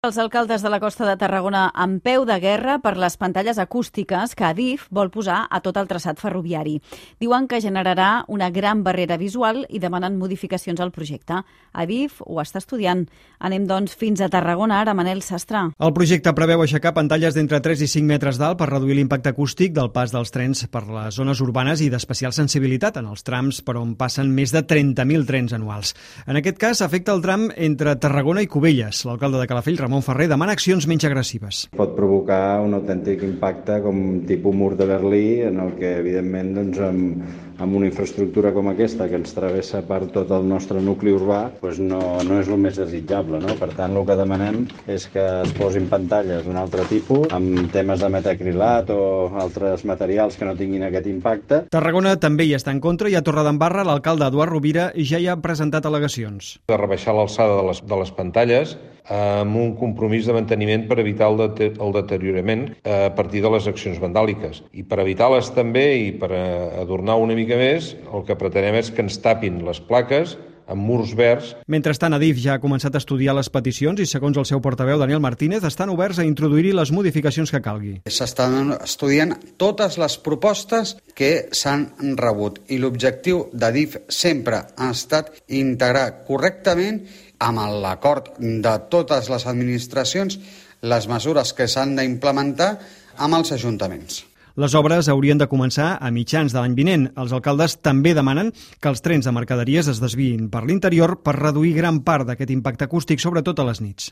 Els alcaldes de la costa de Tarragona en peu de guerra per les pantalles acústiques que Adif vol posar a tot el traçat ferroviari. Diuen que generarà una gran barrera visual i demanen modificacions al projecte. Adif ho està estudiant. Anem, doncs, fins a Tarragona, ara, Manel Sastre. El projecte preveu aixecar pantalles d'entre 3 i 5 metres d'alt per reduir l'impacte acústic del pas dels trens per les zones urbanes i d'especial sensibilitat en els trams per on passen més de 30.000 trens anuals. En aquest cas, afecta el tram entre Tarragona i Cubelles. L'alcalde de Calafell, Ramon Ferrer, demana accions menys agressives. Pot provocar un autèntic impacte com tipus mur de Berlí, en el que, evidentment, amb una infraestructura com aquesta, que ens travessa per tot el nostre nucli urbà, no és el més desitjable, no? Per tant, el que demanem és que es posin pantalles d'un altre tipus, amb temes de metacrilat o altres materials que no tinguin aquest impacte. Tarragona també hi està en contra i a Torredembarra l'alcalde Eduard Rovira ja hi ha presentat al·legacions. De rebaixar l'alçada de les pantalles amb un compromís de manteniment per evitar el deteriorament a partir de les accions vandàliques. I per evitar-les també i per adornar una mica més, el que pretenem és que ens tapin les plaques amb murs verds. Mentrestant, Adif ja ha començat a estudiar les peticions i, segons el seu portaveu, Daniel Martínez, estan oberts a introduir-hi les modificacions que calgui. S'estan estudiant totes les propostes que s'han rebut i l'objectiu d'Adif sempre ha estat integrar correctament amb l'acord de totes les administracions les mesures que s'han d'implementar amb els ajuntaments. Les obres haurien de començar a mitjans de l'any vinent. Els alcaldes també demanen que els trens de mercaderies es desviïn per l'interior per reduir gran part d'aquest impacte acústic, sobretot a les nits.